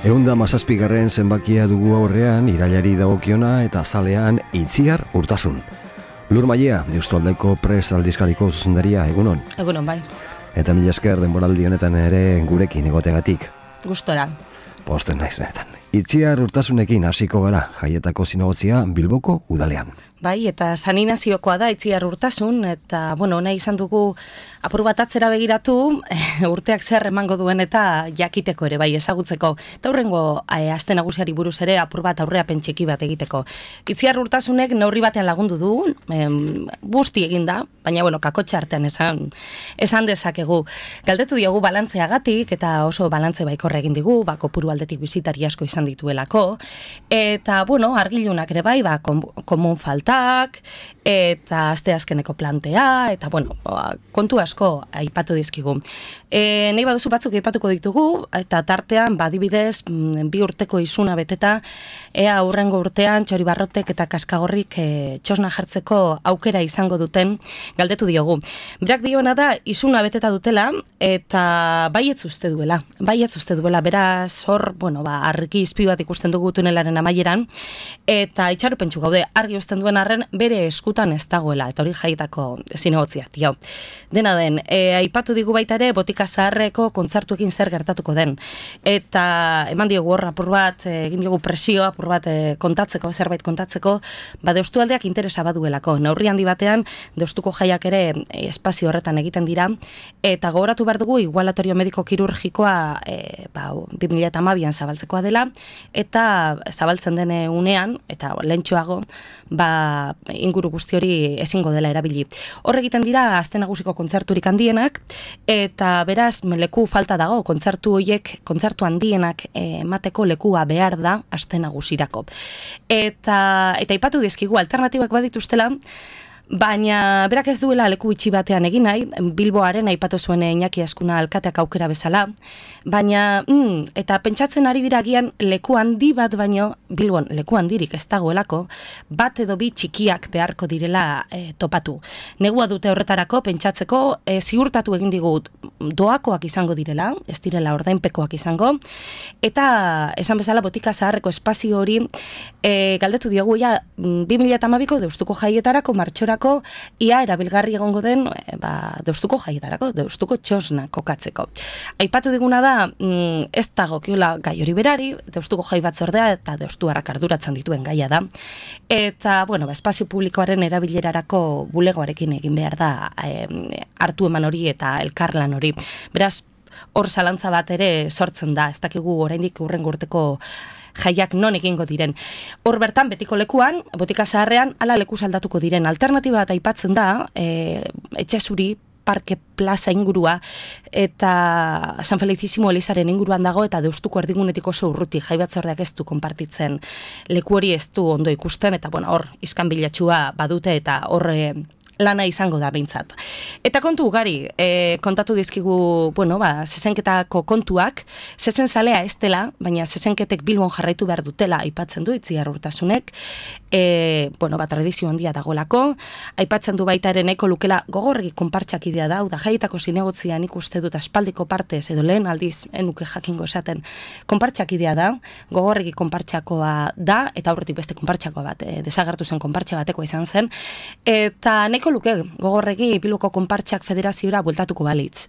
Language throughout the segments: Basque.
117. zenbakia dugu aurrean, irailari dagokiona eta zalean Itziar Urtasun. Lur Mailea, Deustualdeko Prest aldizkariko zuzendaria, egunon? Egunon, bai. Eta mila esker denboraldi honetan ere gurekin egotegatik. Gustora. Posten naiz benetan. Itziar Urtasunekin hasiko gara, Jaietako zinegotzia Bilboko udalean. Bai, eta San Inazioko da Itziar Urtasun, eta, nahi izan dugu apur bat atzera begiratu, urteak zer emango duen eta jakiteko ere, bai, ezagutzeko. Eta hurrengo aste nagusiari buruz ere apur bat aurrea pentseki bat egiteko. Itziar Urtasunek neurri batean lagundu du, busti eginda, baina, kakotxa artean esan dezakegu. Galdetu diogu balantzeagatik, eta oso balantze baikorra egin digu, kopuru aldetik bizitari asko izan dituelako, eta, argilunak ere bai, komun falta, eta asteazkeneko plantea, eta, kontu asko aipatu dizkigu. Nahi baduzu batzuk aipatuko ditugu, eta tartean, adibidez, 2 urteko izuna beteta, ea hurrengo urtean Txoribarrotek eta Kaskagorrik txosna jartzeko aukera izango duten, galdetu diogu. Berak dioena da, izuna beteta dutela, eta baietz uste duela, beraz, hor, argi izpi bat ikusten dugu tunelaren amaieran, eta itxaropentsu gaude, argi usten duen arren bere eskutan ez dagoela, eta hori Jaietako zinegotziak dio. Dena den, aipatu digu baita ere Botika Zaharreko kontzertuekin zer gertatuko den, eta eman diogu hor apur bat, egin diogu presio apur bat zerbait kontatzeko, Deustualdeak interesa baduelako. Neurri handi batean Deustuko jaiak ere espazio horretan egiten dira, eta gogoratu behar dugu igualatorio mediko kirurgikoa 2012an zabaltzekoa dela, eta zabaltzen den unean, eta lehentxoago, inguru guzti hori ezingo dela erabili. Hor egiten dira aste nagusiko kontzerturik handienak, eta beraz leku falta dago, kontzertu handienak emateko lekua behar da aste nagusirako. Eta aipatu dizkigu alternatibak badituztela, baina berak ez duela leku itxi batean egin nahi, Bilboaren aipatu zuen Iñaki Azkuna alkateak aukera bezala, baina, eta pentsatzen ari dira agian leku handi bat baino, Bilbon leku handirik ez dagoelako, bat edo bi txikiak beharko direla topatu. Negua dute horretarako, pentsatzeko, ziurtatu egin digut doakoak izango direla, ez direla ordainpekoak izango, eta esan bezala Botika Zaharreko espazio hori, galdetu diogu, 2012ko Deustuko Jaietarako martxorako ia erabilgarri egongo den Deustuko Jaietarako, Deustuko txosna kokatzeko. Aipatu diguna da, ez dagokiola gai hori berari, Deustuko Jai Batzordea eta Deustuarrak arduratzen dituen gaia da. Eta, espazio publikoaren erabilerarako bulegoarekin egin behar da hartu eman hori eta elkarlan hori. Beraz, hor zalantza bat ere sortzen da, ez dakigu oraindik hurrengo urteko jaiak non egingo diren. Hor bertan, betiko lekuan, Botika Zaharrean, ala leku saldatuko diren. Alternatiba bat aipatzen da, Etxezuri, Parke Plaza ingurua, eta San Felicísimo Elizaren inguruan dago, eta Deustuko erdigunetik oso urruti, Jai Batzordeak ez du konpartitzen. Leku hori ez du ondo ikusten, eta hor iskanbilatxua badute, eta hor lana izango da behintzat. Eta kontu ugari, kontatu dizkigu, zezenketako kontuak, zezen zalea ez dela, baina zezenketek Bilbon jarraitu behar dutela aipatzen du Itziar Urtasunek, tradizio handia dagolako, aipatzen du baita ere nahiko lukela gogorregi konpartxak idea da, Jaietako zinegotzian ikuste dut aspaldiko partez, edo lehen aldiz, enuke jakingo esaten, konpartxak idea da, gogorregi konpartxakoa da, eta aurretik beste konpartxakoa bat, desagertu zen konpartxa bateko izan zen, eta nahiko luke gogorregi Bilboko konpartxak federaziora bueltatuko balitz.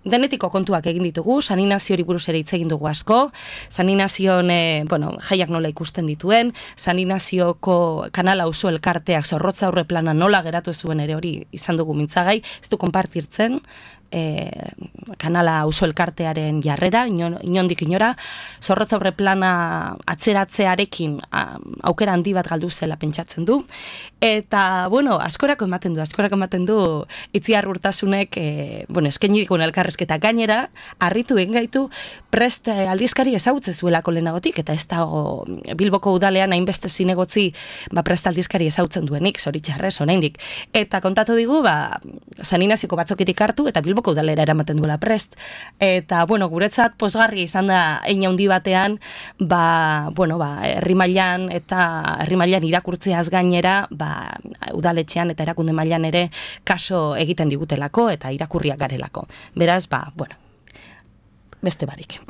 Denetiko kontuak egin ditugu, San Inaziori buruz ere hitz egin dugu asko, San Inazion, jaiak nola ikusten dituen, San Inazioko kanala auzo elkarteak zorrotza aurre plana nola geratu zuen ere hori izan dugu mintzagai, ez du konpartirtzen, kanala auzo elkartearen jarrera, inondik inora, zorrotza aurre plana atzeratzearekin aukera handi bat galdu zela pentsatzen du, eta, askorako ematen du Itziar Urtasunek, eskaini dikun elkarrezketa gainera, harritu egin gaitu, Prest aldizkari ezagutze zuelako lehenagotik, eta ez dago Bilboko udalean hainbeste zinegotzi Prest aldizkari ezagutzen duenik, zoritxarrez, oraindik. Eta kontatu digu, San Inazioko batzokirik hartu, eta Bilboko udalera eramaten duela Prest. Eta, guretzat pozgarri izan da hein handi batean, herri mailan eta herri mailan irakurtzeaz gainera, udaletxean eta erakunde mailan ere kaso egiten digutelako eta irakurriak garelako. Beraz, beste barik.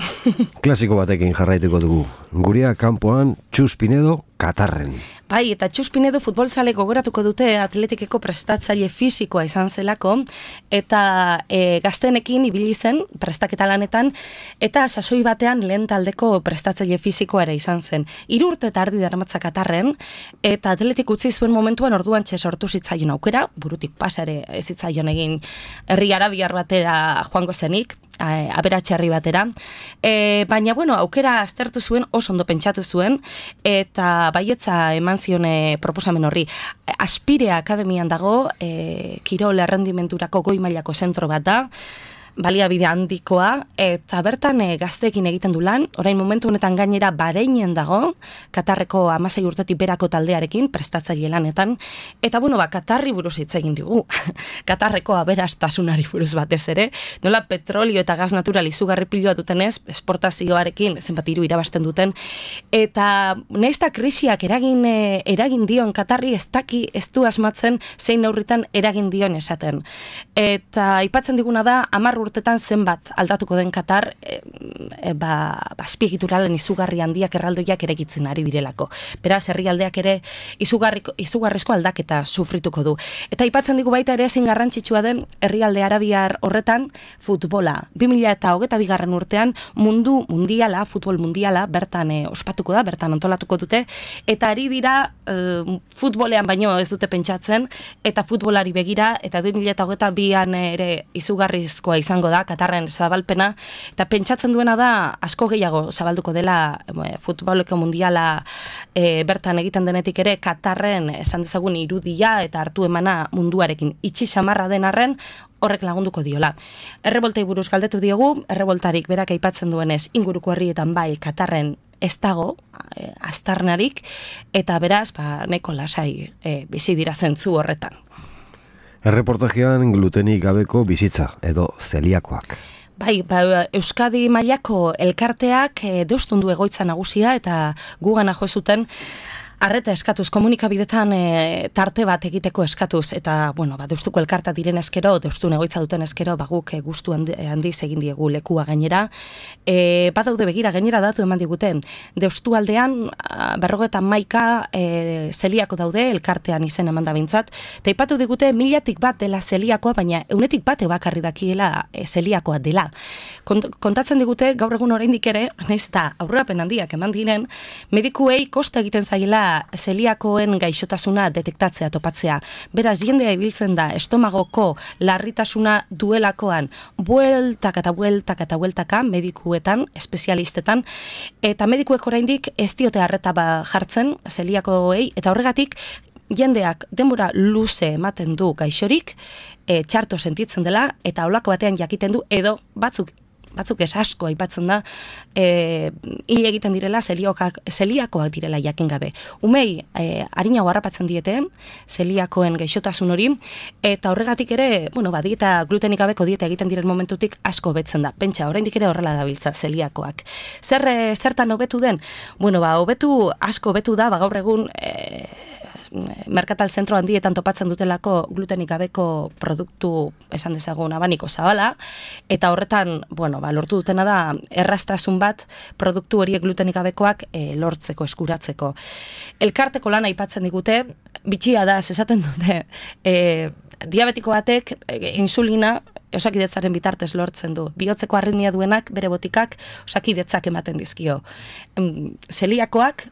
Klasiko batekin jarraituko dugu. Gurea kanpoan Txus Pinedo Katarren. Bai, eta Txus Pinedo futbolzale gogoratuko dute atletikeko prestatzaile fisikoa izan zelako, eta gaztenekin ibili zen prestaketa lanetan, eta sasoi batean lehen taldeko prestatzaile fisikoa ere izan zen. 3 urte eta erdi darmatza Katarren, eta atletik utzi zuen momentuan orduan sortu zitzaion aukera, burutik pasare ez zitzaion egin herri arabiar batera joango zenik, aberatxe herri batera, baina bueno, aukera aztertu zuen, oso ondo pentsatu zuen, eta baietza eman zione proposamen horri. Aspire Akademian dago, kirol errendimenturako goi mailako zentro bat da, baliabide handikoa, eta bertan gazteekin egiten du lan, orain momentu honetan gainera Bahreinen dago, Katarreko 16 urtetik berako taldearekin, prestatzaile lanetan, eta bueno, Katarri buruz hitz egin digu, Katarreko aberastasunari buruz batez ere, nola petrolio eta gas natural izugarri piloa dutenez, esportazioarekin zenbat hiru irabazten duten, eta naizta krisiak eragin dion Katarri ez du asmatzen zein neurritan eragin dion esaten. Eta aipatzen diguna da, 10 urtetan zenbat aldatuko den Katar, azpiegituralen izugarri handiak erraldoiak eregitzen ari direlako. Beraz, herrialdeak ere izugarrizko aldaketa sufrituko du. Eta aipatzen digu baita ere ezin garrantzitsua den herrialde arabiar horretan futbola. 2022 urtean futbol mundiala bertan ospatuko da, bertan antolatuko dute, eta ari dira futbolean baino ez dute pentsatzen, eta futbolari begira, eta 2022an ere izugarrizkoa izango da, Katarren zabalpena, eta pentsatzen duena da, asko gehiago zabalduko dela futboleko mundiala bertan egiten denetik ere, Katarren esan dezagun irudia eta hartu emana munduarekin itxi samarra den arren, horrek lagunduko diola. Erreboltei buruz galdetu diogu, erreboltarik berak aipatzen duenez, inguruko herrietan bai Katarren ez dago, aztarnarik, eta beraz, neko lasai bizi dira zentzu horretan. Erreportajean glutenik gabeko bizitza, edo zeliakoak. Bai, Euskadi mailako elkarteak deustundu egoitza nagusia eta gugana jo zuten arreta eskatuz, komunikabidetan tarte bat egiteko eskatuz, eta, deustuko elkarta diren eskero, deustun egoitza duten eskero, guk gustu handiz egin diegu lekua gainera. Badaude begira, gainera datu eman digute, deustu aldean, 51 zeliako daude, elkartean izen eman da bintzat, eta ipatu digute 1000tik bat dela zeliakoa, baina 100tik bat bakarri dakiela zeliakoa dela. Kontatzen digute, gaur egun oraindik ere, nahiz eta aurrerapen handiak eman diren, medikuei kosta egiten zaiela zeliakoen gaixotasuna detektatzea, topatzea. Beraz, jendea ibiltzen da estomagoko larritasuna duelakoan bueltaka medikuetan, espezialistetan, eta medikuek oraindik ez diote arreta jartzen zeliakoei, eta horregatik jendeak denbora luze ematen du gaixorik, txarto sentitzen dela, eta holako batean jakiten du, edo batzuk ez asko aipatzen da, hil egiten direla, zeliakoak direla jakin gabe. Umei, harinago harrapatzen diete, zeliakoen gaixotasun hori, eta horregatik ere, dieta glutenik gabeko dieta egiten diren momentutik asko betzen da. Pentsa, oraindik ere horrela dabiltza zeliakoak. Zertan hobetu den? Hobetu, asko hobetu da, gaur egun, merkatal zentro handietan topatzen dutelako glutenik gabeko produktu esan dezagun abaniko zabala, eta horretan, lortu dutena da erraztasun bat produktu horiek glutenik gabekoak lortzeko, eskuratzeko. Elkarteko lana aipatzen digute, bitxia da, esaten dute, diabetiko batek insulina osakidetzaren bitartez lortzen du. Bihotzeko arritmia duenak, bere botikak, osakidetzak ematen dizkio. Zeliakoak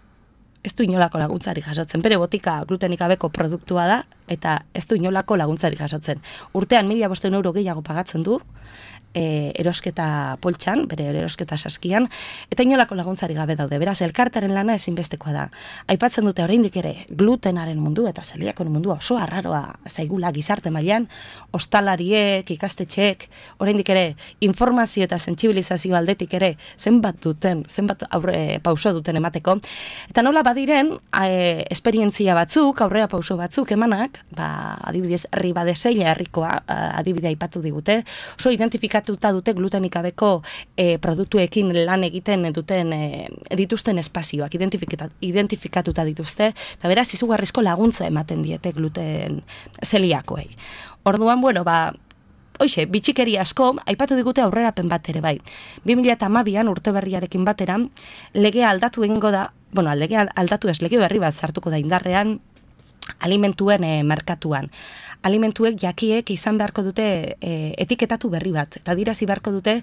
ez du inolako laguntzari jasotzen. Bere botika glutenik gabeko produktua da, eta ez du inolako laguntzari jasotzen. Urtean 1.500 euro gehiago pagatzen du, erosketa poltsan, bere erosketa saskian, eta inolako laguntzari gabe daude. Beraz, elkartaren lana ezinbestekoa da. Aipatzen dute oraindik ere glutenaren mundu eta zeliakoen mundua oso arraroa zaigula gizarte mailan, ostalariek, ikastetxeek, oraindik ere informazio eta sentsibilizazio aldetik ere zenbat pauso duten emateko. Eta nola badiren, esperientzia batzuk, aurrera pauso batzuk emanak, adibidez, Ribadeseila herrikoa adibidea aipatu digute, oso identifikatuta dute glutenik gabeko produktuekin lan egiten dituzten espazioak, identifikatuta dituzte, eta beraz izugarrizko laguntza ematen diete gluten zeliakoei. Orduan, hoxe, bitxikeri asko, aipatu digute aurrerapen bat ere bai. 2012an urte berriarekin batera, legea aldatu egingo da, bueno, legea aldatu ez, lege berri bat sartuko da indarrean, alimentuen merkatuan. Alimentuek jakiek izan beharko dute etiketatu berri bat, eta dirazi beharko dute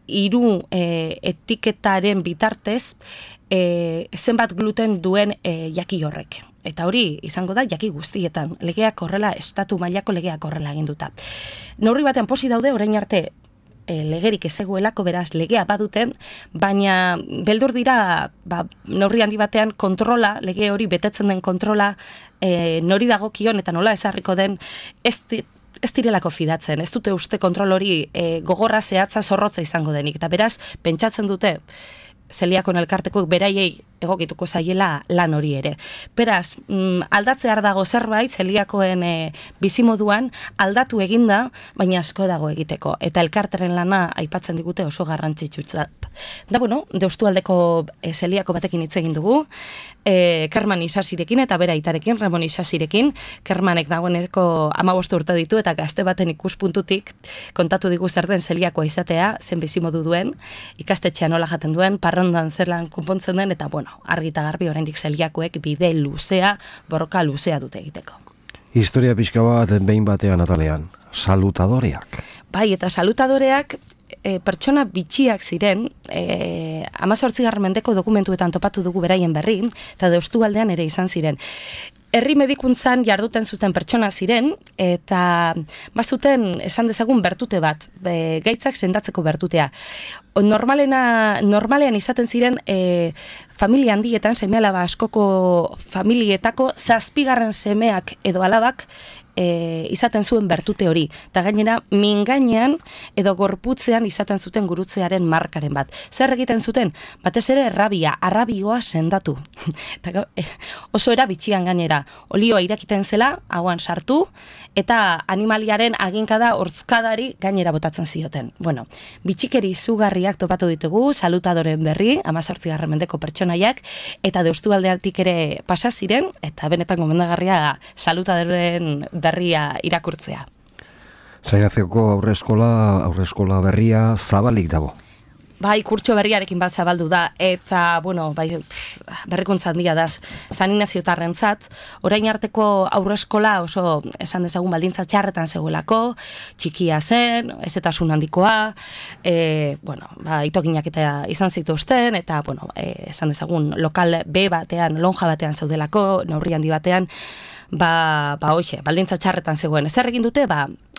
3 etiketaren bitartez zenbat gluten duen jaki horrek. Eta hori izango da jaki guztietan, legeak horrela, estatu mailako legeak horrela aginduta. Neurri batean posi daude, orain arte legerik ezegoelako, beraz legea baduten, baina beldur dira neurri handi batean kontrola, lege hori betetzen den kontrola, nori dagokion eta nola ezarriko den, ez direlako fidatzen, ez dute uste kontrol hori gogorra, zehatza, zorrotza izango denik, eta beraz pentsatzen dute Zeliakon elkarteko beraiei egokituko zaiela lan hori ere. Beraz, aldatzear dago zerbait, Zeliakoen bizimoduan aldatu eginda, baina asko dago egiteko. Eta elkarteren lana aipatzen digute oso garrantzitsutzat. Da, bueno, Deustualdeko Zeliako batekin hitz egin dugu, Kerman Isasirekin eta bera aitarekin, Ramon Isasirekin. Kermanek dagoeneko 15 urte ditu eta gazte baten ikuspuntutik kontatu digu zer den Zeliakoa izatea, zen bizimodu duen, ikastetxean nola jaten duen, parrandan zer lan konpontzen den, eta bueno, argi eta garbi oraindik Zeliakoek bide luzea, borroka luzea dute egiteko. Historia pixka bat behin batean atalean, salutadoreak. Bai, eta salutadoreak pertsona bitxiak ziren, 18. mendeko dokumentuetan topatu dugu beraien berri, eta Deustualdean ere izan ziren. Herri medikuntzan jarduten zuten pertsona ziren, eta bazuten esan dezagun bertute bat, gaitzak sendatzeko bertutea. Normalean izaten ziren familia handietan, seme-alaba askoko familietako 7. semeak edo alabak izaten zuen bertute hori. Eta gainera, mingainean edo gorputzean izaten zuten gurutzearen markaren bat. Zer egiten zuten? Batez ere arrabioa sendatu. Oso era bitxian gainera. Olioa irakiten zela, hauan sartu, eta animaliaren aginkada hortzkadari gainera botatzen zioten. Bueno, bitxikeri izugarriak topatu ditugu, salutadoren berri, 18. mendeko pertsonaiak, eta Deustualdeatik ere pasa ziren, eta benetan gomendagarria salutadoren berria irakurtzea. Zainazioko aurreskola berria zabalik dago. Bai, kurtso berriarekin bat zabaldu da, eta, bueno, bai, berrikuntza handia da, San Ignaziotarrentzat, orain arteko aurreskola oso, esan dezagun, baldintza txarretan zegoelako, txikia zen, ezetasun handikoa, bueno, itoginak eta izan zituzten, eta, bueno, esan dezagun, lokal B batean, lonja batean zeudelako, neurri handi batean, hoxe, baldintza txarretan zegoen. Zer egin dute,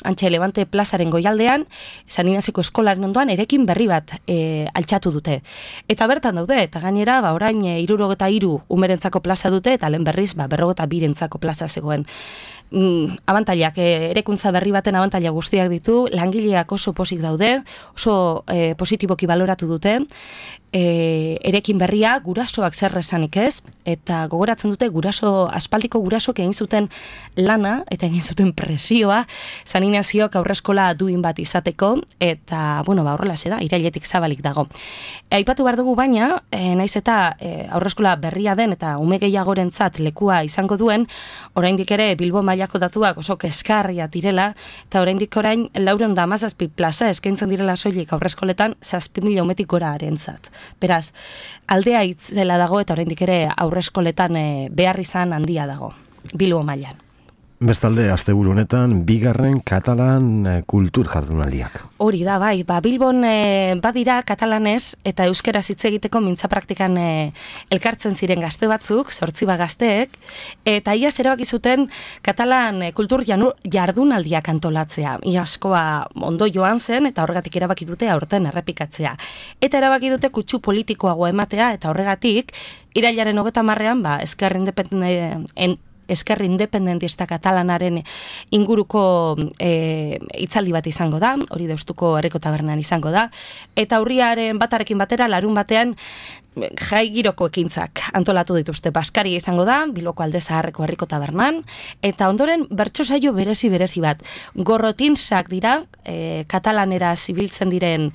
Antxe Levante plazaren goialdean, San Ignazioko eskolaren ondoan erekin berri bat altxatu dute. Eta bertan daude, eta gainera, orain 63 umerentzako plaza dute, eta lehen berriz, 42 plaza zegoen. Abantailak, erekuntza berri baten abantaila guztiak ditu, langileak oso posik daude, oso positiboki baloratu dute, erekin berria gurasoak zer esanik ez, eta gogoratzen dute aspaldiko gurasoak egin zuten lana, eta egin zuten presioa, San Ignaziok aurreskola duin bat izateko, eta, bueno, horrela da, irailetik zabalik dago. Aipatu behar dugu baina, naiz eta aurreskola berria den, eta ume gehiagorentzat lekua izango duen, oraindik ere Bilbo mailako datuak oso kezkarria direla, eta oraindik orain 417 plaza eskaintzen direla soilik aurreskoletan 7.000 umetik gora arentzat. Beraz, aldea itzela dago eta oraindik ere aurreskoletan behar izan handia dago, Bilbo mailan. Bestalde, asteburu honetan, 2. katalan kultur jardunaldiak. Hori da, bai, Bilbon badira katalanez eta euskeraz hitz egiteko mintza praktikan elkartzen ziren gazte batzuk, 8 gazteek, eta iaz erabaki zuten katalan kultur jardunaldiak antolatzea. Iaskoa ondo joan zen eta horregatik erabaki dute aurten errepikatzea. Eta erabaki dute kutsu politikoago ematea eta horregatik, irailaren 30ean, Ezker Independentista Katalanaren inguruko hitzaldi bat izango da, hori Deustuko Herriko Tabernan izango da, eta urriaren batarekin batera, larun batean, jai giroko ekintzak antolatu dituzte. Baskaria izango da, Bilboko Alde Zaharreko Herriko Tabernan, eta ondoren bertso saio berezi bat. Gorrotinsak dira, katalanera zibiltzen diren,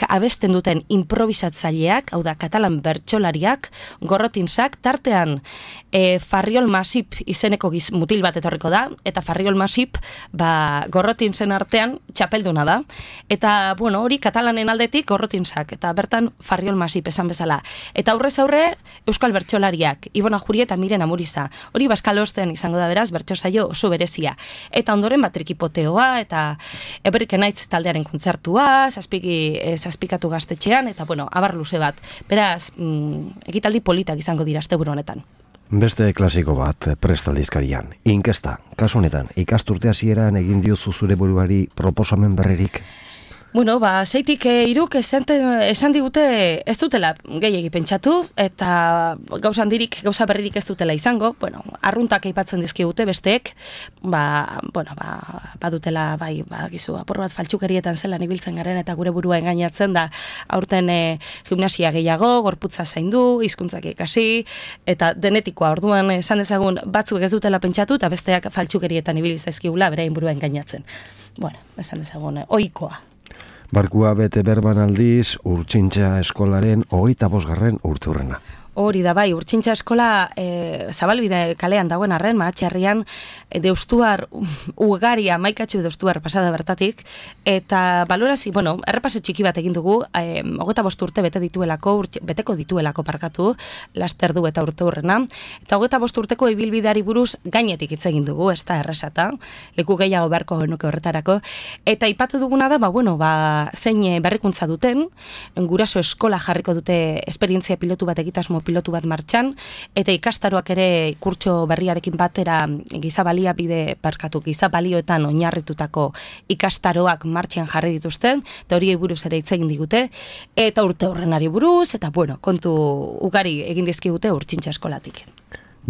abesten duten improvisatzaileak, hau da, katalan bertsolariak, gorrotinsak, tartean Farriol Masip izeneko mutil bat etorriko da, eta Farriol Masip, Gorrotinsen artean txapelduna da. Eta, hori katalanen aldetik Gorrotinsak, eta bertan Farriol Masip esan bezala. Eta aurrez aurre, Euskal Bertsolariak, Ibon Ajuri eta Miren Amuriza. Hori Baskalosten izango da beraz, bertso saio oso berezia. Eta ondoren Trikipoteoa, eta Everike Naitz taldearen kontzertua, zazpikatu gaztetxean, eta abar luze bat. Beraz, ekitaldi politak izango dira asteburu honetan. Beste klasiko bat Prest aldizkarian. Inkesta, kasu honetan, ikasturte hasieran egin diozu zure buruari proposamen berririk? Zeitik iruk esan digute ez dutela gehiegi pentsatu, eta gauza berririk ez dutela izango, arruntak aipatzen dizkigute besteek, badutela, gizu, apur bat faltsukerietan zelan ibiltzen garen, eta gure burua engainatzen da, aurten gimnasia gehiago, gorputza zaindu, hizkuntzak ikasi, eta denetikoa, orduan esan dezagun batzuk ez dutela pentsatu, eta besteak faltsukerietan ibilizazkigula berain burua engainatzen. Esan dezagun, ohikoa. Barkua bete berban aldiz, Urtsintxa eskolaren 25. urteurrena. Hori da bai, Urtsintxa eskola Zabalbide kalean dagoen arren, Mahatxerrian, deustuar ugari, amaikatxu deustuar pasada bertatik, eta balorazi, errepaso txiki bat egin dugu, 25 urte beteko dituelako parkatu, laster du eta urteurrena, eta 25 urteko ibilbideari buruz gainetik hitz egin dugu, ez da erresata, leku gehiago beharko genuke horretarako, eta ipatu duguna da, zein berrikuntza duten, guraso eskola jarriko dute esperientzia pilotu bat egitasmo pilotu bat martxan, eta ikastaroak ere kurtso berriarekin batera gizabalioetan oinarritutako ikastaroak martxan jarri dituzten, eta horiei buruz ere hitz egin digute, eta urte horrenari buruz, eta kontu ugari egin dizkigute Urtsintxa eskolatik.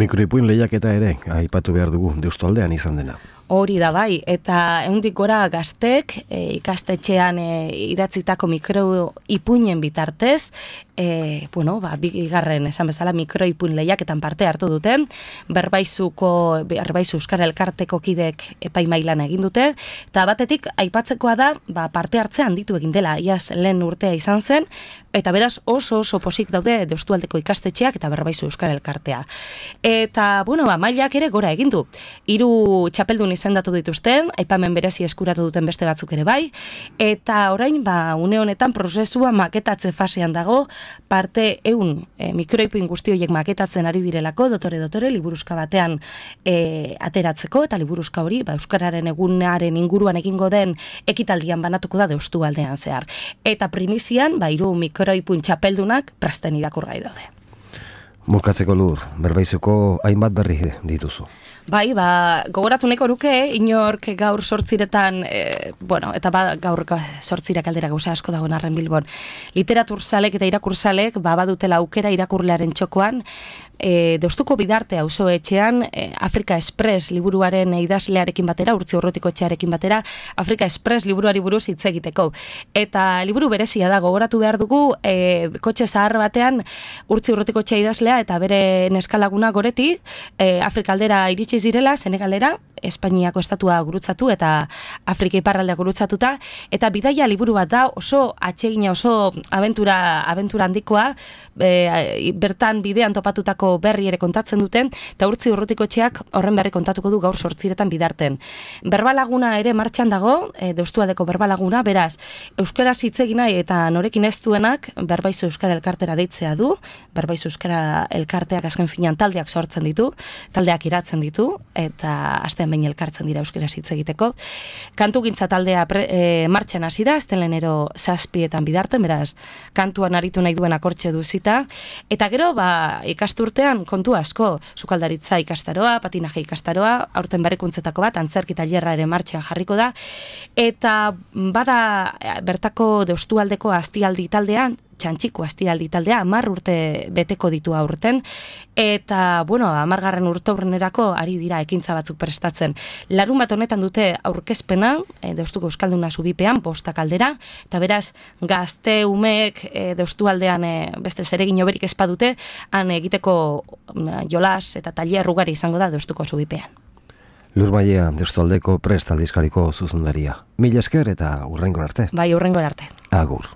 Mikroipuin lehiaketa ere, aipatu behar dugu, Deustualdean izan dena. Hori da bai, eta ehundik gora gaztek ikastetxean idatzitako mikroipuinen bitartez, bigarren esan bezala mikroipuin lehiaketan parte hartu duten, Berbaizu Euskara Elkarteko kidek epaimailan egin dute, eta batetik aipatzekoa da parte hartzean handitu egin dela, iaz lehen urtea izan zen, eta beraz oso posik daude Deustualdeko ikastetxeak eta Berbaizu Euskara Elkartea. Eta, mailak ere gora egin du. 3 txapeldun izendatu dituzten, aipamen berezi eskuratu duten beste batzuk ere bai, eta orain, une honetan prozesua maketatze fasean dago, parte 100 mikroipuin guzti horiek maketatzen ari direlako, dotore, liburuska batean ateratzeko, eta liburuska hori, Euskararen egunaren inguruan egingo den ekitaldian banatuko da Deustualdean zehar. Eta primizian, 3 mikroipuin txapeldunak presten irakurgai daude. Bukatzeko Lur, Berbaizuko hainbat berri dituzu. Bai, gogoratu nahiko nuke, inork gaur 8 eta gaur 8 aldera gauza asko dagoen arren Bilbon. Literaturzalek eta irakurzalek badutela aukera irakurlearen txokoan, Deustuko Bidarte auzoetxean Afrika Express liburuaren idazlearekin batera, Urtzi Urrutiko etxearekin batera, Afrika Express liburuari buruz hitz egiteko. Eta liburu berezia da, gogoratu behar dugu, kotxe zahar batean Urtzi Urrutiko etxea idazlea eta bere neskalaguna Goreti, Afrika aldera iritsi zirela, Senegalera, Espainiako estatua gurutzatu eta Afrika iparraldea gurutzatuta, eta bidaia liburu bat da, oso atsegina, oso abentura handikoa, bertan bidean topatutako berri ere kontatzen duten, eta Urtzi Urrutiko etxeak horren berri kontatuko du gaur 8 Bidarten. Berbalaguna ere martxan dago, Deustualdeko berbalaguna, beraz, euskaraz hitz egin nahi eta norekin ez duenak, Berbaizu Euskara Elkartera deitzea du, Berbaizu Euskara Elkarteak azken finean taldeak sortzen ditu, taldeak iratzen ditu, eta astean behin elkartzen dira euskaraz hitz egiteko. Kantugintza taldea martxan hasi da, aztelenero 7 Bidarten, beraz, kantuan aritu nahi duen akortxe duzita, eta gero, ikasturtean kontu asko, sukaldaritza ikastaroa, patinaje ikastaroa, aurten berrikuntzetako bat, antzerki tailerra ere martxan jarriko da, eta bada bertako Deustualdeko Astialdi taldean, Txantxiko Astialdi taldea 10 urte beteko ditu aurten, eta, 10. urteurrenerako ari dira ekintza batzuk prestatzen. Larunbat honetan dute aurkezpena, Deustuko Euskalduna Zubipean, 5 aldera, eta beraz, gazte umeek Deustualdean beste zeregin oberik espadute, han egiteko jolas eta tailer ugari izango da Deustuko Zubipean. Lur Mailea, Deustualdeko Prest aldizkariko zuzendaria. Mila esker eta hurrengo arte. Bai, hurrengo arte. Agur.